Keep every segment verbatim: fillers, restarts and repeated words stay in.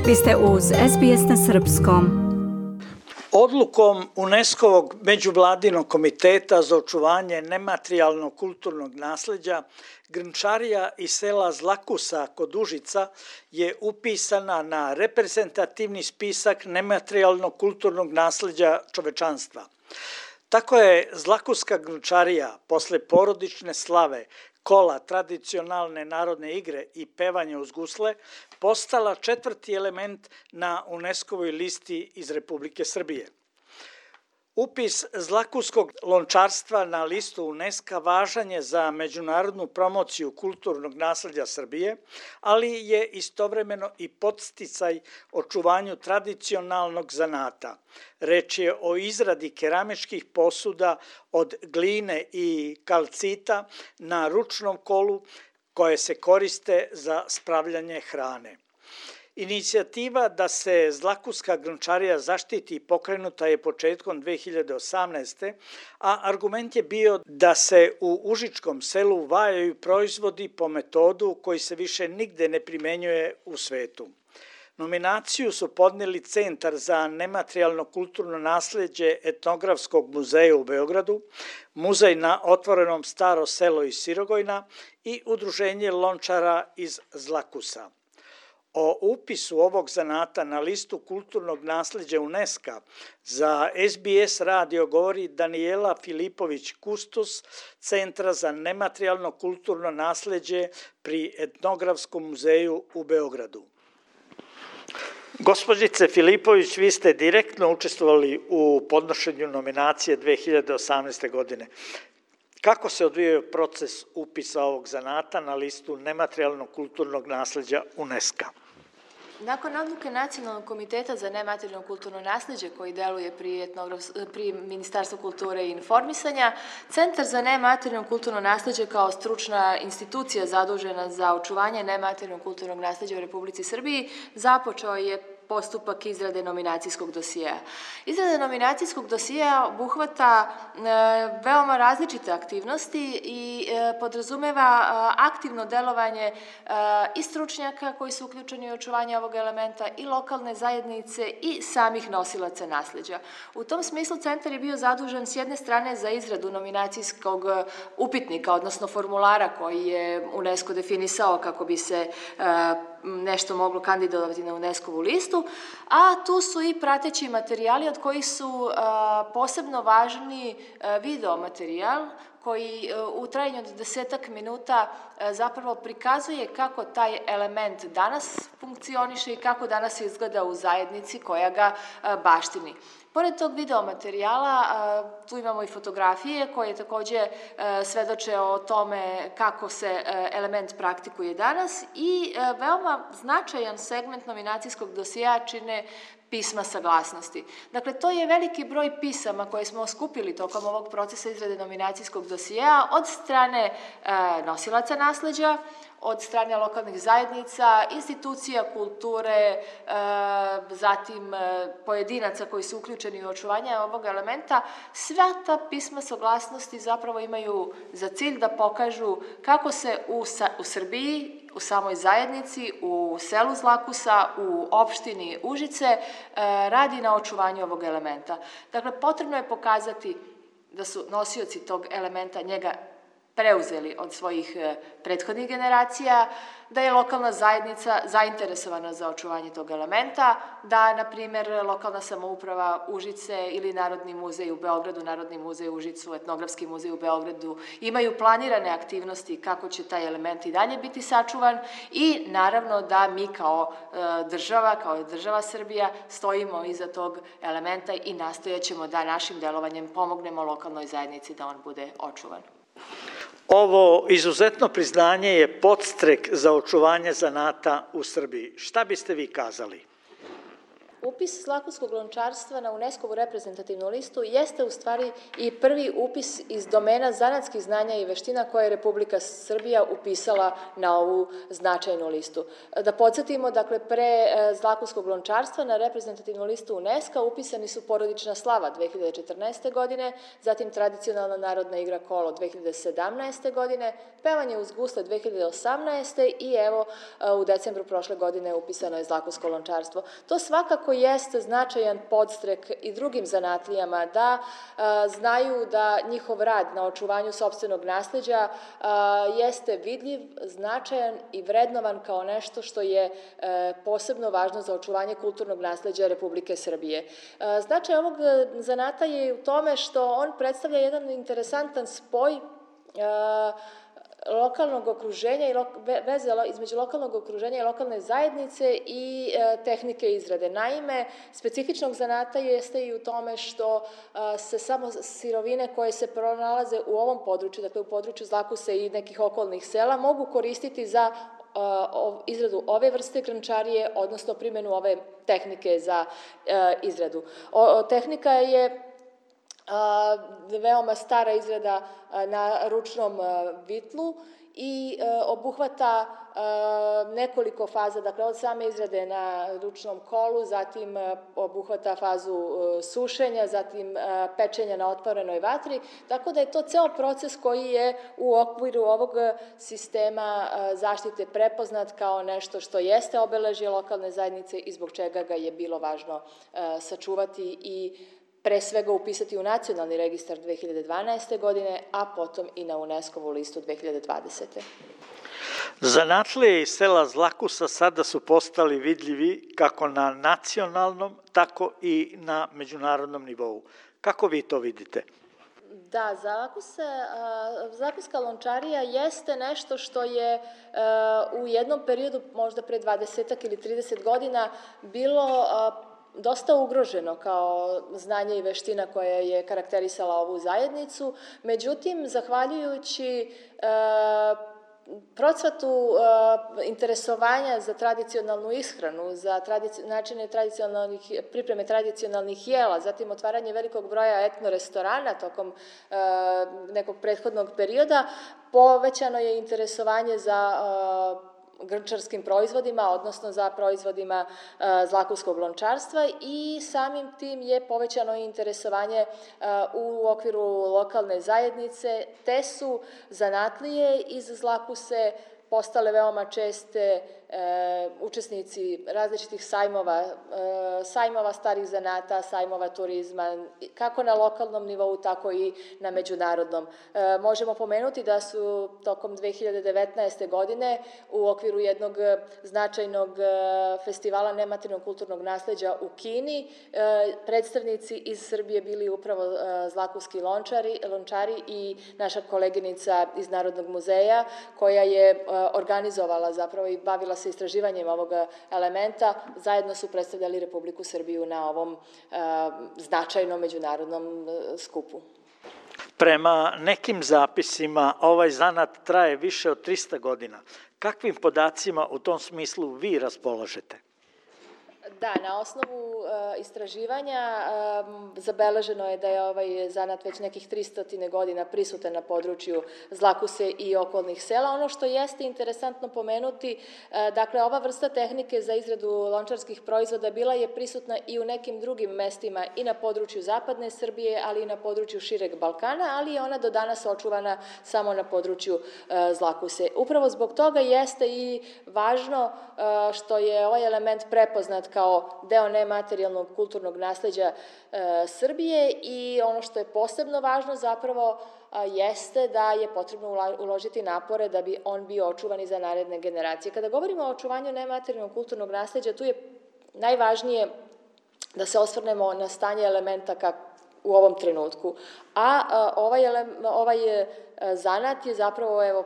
Vi ste uz es be es na srpskom. Odlukom UNESCO-vog međuvladinog komiteta za očuvanje nematerijalnog kulturnog nasleđa, Grnčarija iz sela Zlakusa kod Užica je upisana na reprezentativni spisak nematerijalnog kulturnog nasleđa čovečanstva. Tako je Zlakuska Grnčarija posle porodične slave, kola, tradicionalne narodne igre i pevanje uz gusle postala četvrti element na UNESCO-voj listi iz Republike Srbije. Upis zlakuskog lončarstva na listu UNESCO važan je za međunarodnu promociju kulturnog nasleđa Srbije, ali je istovremeno i podsticaj očuvanju tradicionalnog zanata. Reč je o izradi keramičkih posuda od gline i kalcita na ručnom kolu koje se koriste za spravljanje hrane. Inicijativa da se Zlakuska Grnčarija zaštiti pokrenuta je početkom dve hiljade osamnaeste. a argument je bio da se u užičkom selu vajaju proizvodi po metodu koji se više nigde ne primenjuje u svetu. Nominaciju su podneli Centar za nematerijalno kulturno nasleđe Etnografskog muzeja u Beogradu, Muzej na otvorenom Staro selo iz Sirogojna i Udruženje lončara iz Zlakusa. O upisu ovog zanata na listu kulturnog nasleđa UNESCO za es be es radio govori Danijela Filipović-Kustos, Centra za nematerijalno kulturno nasleđe pri Etnografskom muzeju u Beogradu. Gospođice Filipović, vi ste direktno učestvovali u podnošenju nominacije dve hiljade osamnaeste. godine. Kako se odvijao proces upisa ovog zanata na listu nematerijalnog kulturnog nasleđa UNESCO? Nakon odluke Nacionalnog komiteta za nematerijalno kulturno nasleđe koji deluje pri, etnograf, pri Ministarstvu kulture i informisanja, Centar za nematerijalno kulturno nasleđe kao stručna institucija zadužena za očuvanje nematerijalnog kulturnog nasleđa u Republici Srbiji započeo je postupak izrade nominacijskog dosijea. Izrada nominacijskog dosijea obuhvata e, veoma različite aktivnosti i e, podrazumeva e, aktivno delovanje e, i stručnjaka koji su uključeni u očuvanje ovog elementa i lokalne zajednice i samih nosilaca nasleđa. U tom smislu centar je bio zadužen s jedne strane za izradu nominacijskog upitnika, odnosno formulara koji je UNESCO definisao kako bi se e, nešto moglo kandidovati na UNESCO-vu listu, a tu su i prateći materijali od kojih su a, posebno važni a, video materijal koji a, u trajanju od desetak minuta a, zapravo prikazuje kako taj element danas funkcioniše i kako danas izgleda u zajednici koja ga a, baštini. Pored tog video materijala, tu imamo i fotografije koje takođe svedoče o tome kako se element praktikuje danas i veoma značajan segment nominacijskog dosijea čine pisma saglasnosti. Dakle, to je veliki broj pisama koje smo skupili tokom ovog procesa izrade nominacijskog dosijea od strane nosilaca nasleđa, od strane lokalnih zajednica, institucija kulture, zatim pojedinaca koji su uključeni u očuvanje ovog elementa. Sva ta pisma saglasnosti zapravo imaju za cilj da pokažu kako se u, u Srbiji, u samoj zajednici, u selu Zlakusa, u opštini Užice radi na očuvanju ovog elementa. Dakle, potrebno je pokazati da su nosioci tog elementa njega preuzeli od svojih prethodnih generacija, da je lokalna zajednica zainteresovana za očuvanje tog elementa, da, na primjer, lokalna samouprava Užice ili Narodni muzej u Beogradu, Narodni muzej u Užicu, Etnografski muzej u Beogradu imaju planirane aktivnosti kako će taj element i dalje biti sačuvan i naravno da mi kao država, kao država Srbija stojimo iza tog elementa i nastojaćemo da našim delovanjem pomognemo lokalnoj zajednici da on bude očuvan. Ovo izuzetno priznanje je podstrek za očuvanje zanata u Srbiji. Šta biste vi kazali? Upis zlakuskog lončarstva na UNESCO-vu reprezentativnu listu jeste u stvari i prvi upis iz domena zanatskih znanja i veština koje je Republika Srbija upisala na ovu značajnu listu. Da podsjetimo, dakle, pre zlakuskog lončarstva na reprezentativnu listu UNESCO upisani su porodična slava dve hiljade četrnaeste. godine, zatim tradicionalna narodna igra kolo dve hiljade sedamnaeste. godine, pevanje uz gusle dve hiljade osamnaeste. i evo u decembru prošle godine upisano je zlakusko lončarstvo. To svakako jeste značajan podstrek i drugim zanatlijama da a, znaju da njihov rad na očuvanju sopstvenog nasleđa a, jeste vidljiv, značajan i vrednovan kao nešto što je a, posebno važno za očuvanje kulturnog nasleđa Republike Srbije. A, značaj ovog zanata je u tome što on predstavlja jedan interesantan spoj a, lokalnog okruženja i veze između lokalnog okruženja i lokalne zajednice i e, tehnike izrade. Naime, specifičnog zanata jeste i u tome što a, se samo sirovine koje se pronalaze u ovom području, dakle u području Zlakuse i nekih okolnih sela, mogu koristiti za a, izradu ove vrste grančarije, odnosno primjenu ove tehnike za a, izradu. O, tehnika je A, veoma stara izrada a, na ručnom a, vitlu i a, obuhvata a, nekoliko faza, dakle od same izrade na ručnom kolu, zatim a, obuhvata fazu a, sušenja, zatim a, pečenja na otvorenoj vatri, tako da je to ceo proces koji je u okviru ovog sistema a, zaštite prepoznat kao nešto što jeste obeležje lokalne zajednice i zbog čega ga je bilo važno a, sačuvati i pre svega upisati u nacionalni registar dve hiljade dvanaeste. godine, a potom i na UNESCO-vu listu dve hiljade dvadesete. Zanatlije iz sela Zlakusa sada su postali vidljivi kako na nacionalnom, tako i na međunarodnom nivou. Kako vi to vidite? Da, zlakuska lončarija jeste nešto što je u jednom periodu, možda pre dvadesetak ili trideset godina, bilo dosta ugroženo kao znanje i veština koja je karakterisala ovu zajednicu. Međutim, zahvaljujući e, procvatu e, interesovanja za tradicionalnu ishranu, za tradici, načine tradicionalnih, pripreme tradicionalnih jela, zatim otvaranje velikog broja etno restorana tokom e, nekog prethodnog perioda, povećano je interesovanje za e, grnčarskim proizvodima, odnosno za proizvodima e, zlakuskog lončarstva i samim tim je povećano interesovanje e, u okviru lokalne zajednice, te su zanatlije iz Zlakuse postale veoma česte e, učesnici različitih sajmova, e, sajmova starih zanata, sajmova turizma, kako na lokalnom nivou, tako i na međunarodnom. E, možemo pomenuti da su tokom dve hiljade devetnaeste. godine u okviru jednog značajnog festivala nematerijalnog kulturnog nasleđa u Kini e, predstavnici iz Srbije bili upravo e, zlakuski lončari, lončari i naša koleginica iz Narodnog muzeja koja je e, organizovala zapravo i bavila se istraživanjem ovog elementa, zajedno su predstavljali Republiku Srbiju na ovom e, značajnom međunarodnom e, skupu. Prema nekim zapisima ovaj zanat traje više od trista godina. Kakvim podacima u tom smislu vi raspolažete? Da, na osnovu e, istraživanja e, zabeleženo je da je ovaj zanat već nekih tristo godina prisutan na području Zlakuse i okolnih sela. Ono što jeste interesantno pomenuti, e, dakle, ova vrsta tehnike za izradu lončarskih proizvoda bila je prisutna i u nekim drugim mestima i na području zapadne Srbije, ali i na području šireg Balkana, ali je ona do danas očuvana samo na području e, Zlakuse. Upravo zbog toga jeste i važno e, što je ovaj element prepoznat kao deo nematerijalnog kulturnog nasleđa e, Srbije i ono što je posebno važno zapravo a, jeste da je potrebno uložiti napore da bi on bio očuvan i za naredne generacije. Kada govorimo o očuvanju nematerijalnog kulturnog nasleđa, tu je najvažnije da se osvrnemo na stanje elementa kako u ovom trenutku. A, a ovaj, ovaj a, zanat je zapravo evo,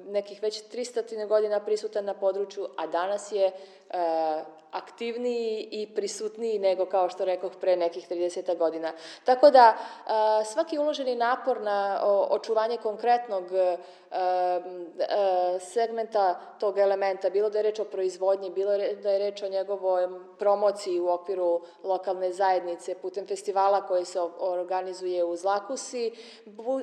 nekih već tristo godina prisutan na području, a danas je a, aktiv aktivniji i prisutniji nego, kao što rekoh, pre nekih trideset godina. Tako da svaki uloženi napor na očuvanje konkretnog segmenta tog elementa, bilo da je reč o proizvodnji, bilo da je reč o njegovoj promociji u okviru lokalne zajednice, putem festivala koji se organizuje u Zlakusi,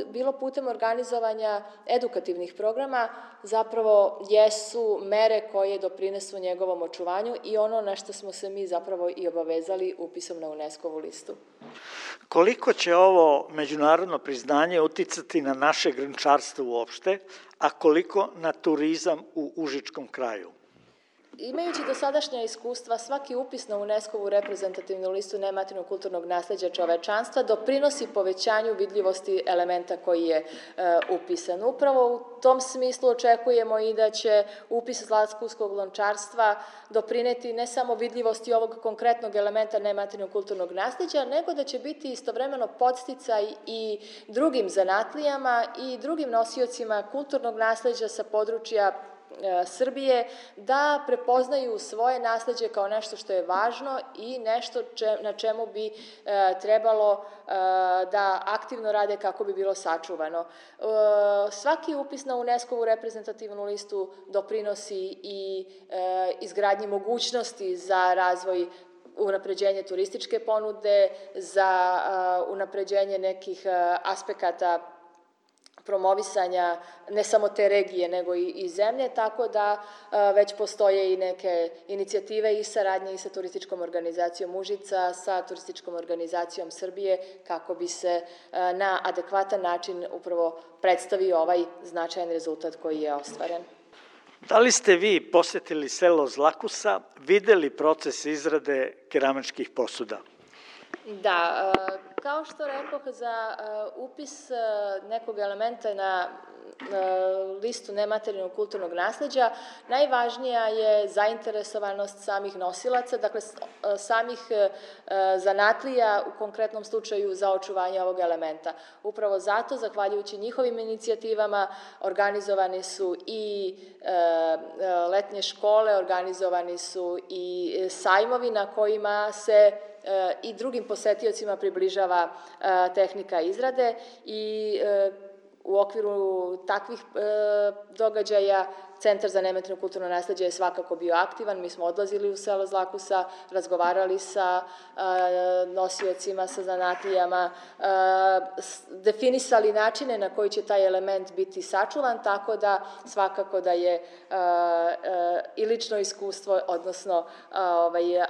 bilo putem organizovanja edukativnih programa, zapravo jesu mere koje doprinesu njegovom očuvanju i ono na što smo se mi zapravo i obavezali upisom na UNESCO-vu listu. Koliko će ovo međunarodno priznanje uticati na naše grnčarstvo uopšte, a koliko na turizam u Užičkom kraju? Imajući dosadašnja iskustva, svaki upis na UNESCO-vu reprezentativnu listu nematerijalnog kulturnog nasleđa čovečanstva doprinosi povećanju vidljivosti elementa koji je upisan. Upravo u tom smislu očekujemo i da će upis zlatkuskog lončarstva doprineti ne samo vidljivosti ovog konkretnog elementa nematerijalnog kulturnog nasleđa, nego da će biti istovremeno podsticaj i drugim zanatlijama i drugim nosiocima kulturnog nasleđa sa područja Srbije da prepoznaju svoje nasleđe kao nešto što je važno i nešto na čemu bi trebalo da aktivno rade kako bi bilo sačuvano. Svaki upis na UNESCO-vu reprezentativnu listu doprinosi i izgradnji mogućnosti za razvoj, unapređenje turističke ponude, za unapređenje nekih aspekata promovisanja ne samo te regije, nego i zemlje, tako da već postoje i neke inicijative i saradnje i sa turističkom organizacijom Užica, sa turističkom organizacijom Srbije, kako bi se na adekvatan način upravo predstavio ovaj značajan rezultat koji je ostvaren. Da li ste vi posetili selo Zlakusa, videli proces izrade keramičkih posuda? Da, kao što rekoh, za upis nekog elementa na listu nematerijalnog kulturnog nasleđa najvažnija je zainteresovanost samih nosilaca, dakle samih zanatlija, u konkretnom slučaju za očuvanje ovog elementa. Upravo zato, zahvaljujući njihovim inicijativama, organizovani su i letnje škole, organizovani su i sajmovi na kojima se i drugim posetiocima približava tehnika izrade i u okviru takvih događaja Centar za nematerijalno kulturno nasleđe je svakako bio aktivan. Mi smo odlazili u selo Zlakusa, razgovarali sa nosiocima, sa zanatlijama, definisali načine na koji će taj element biti sačuvan, tako da svakako da je i lično iskustvo, odnosno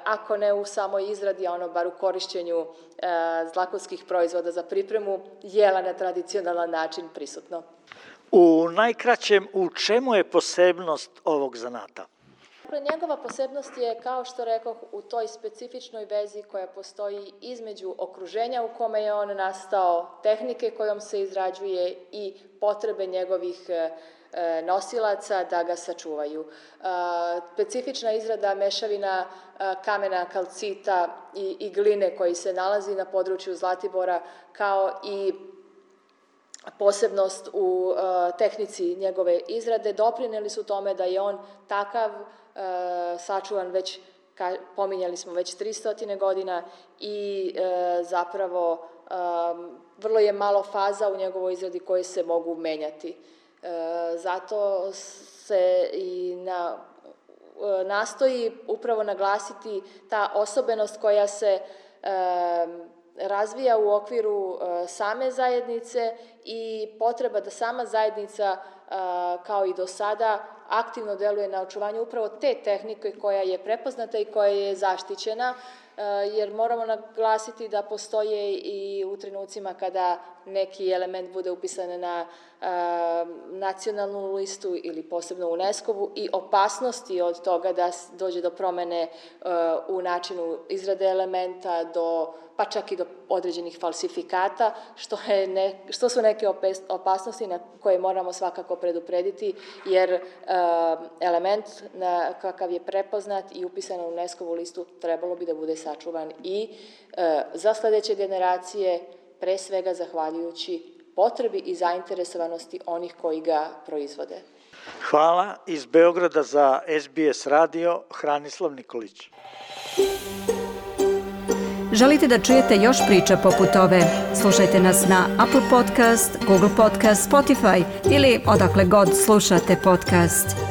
ako ne u samoj izradi, a ono bar u korišćenju zlakovskih proizvoda za pripremu jela na tradicionalan način prisutno. U najkraćem, u čemu je posebnost ovog zanata? Njegova posebnost je, kao što rekoh, u toj specifičnoj vezi koja postoji između okruženja u kome je on nastao, tehnike kojom se izrađuje i potrebe njegovih nosilaca da ga sačuvaju. Specifična izrada mešavina kamena, kalcita i gline koji se nalazi na području Zlatibora, kao i posebnost u tehnici njegove izrade, doprineli su tome da je on takav sačuvan već, pominjali smo, već tristo godina i zapravo vrlo je malo faza u njegovoj izradi koje se mogu menjati. Zato se i na, nastoji upravo naglasiti ta osobenost koja se razvija u okviru same zajednice i potreba da sama zajednica, kao i do sada, aktivno deluje na očuvanju upravo te tehnike koja je prepoznata i koja je zaštićena, jer moramo naglasiti da postoje i u trenucima kada neki element bude upisan na nacionalnu listu ili posebno UNESCO-vu i opasnosti od toga da dođe do promene u načinu izrade elementa, do, pa čak i do određenih falsifikata, što, je ne, što su neke opasnosti na koje moramo svakako preduprediti, jer element na kakav je prepoznat i upisan na UNESCO-vu listu trebalo bi da bude sačuvan i za sledeće generacije, pre svega zahvaljujući potrebi i zainteresovanosti onih koji ga proizvode. Hvala iz Beograda za S B S radio, Hranislav Nikolić. Želite da čujete još priča poput ove? Slušajte nas na Apple Podcast, Google Podcast, Spotify ili odakle god slušate podcast.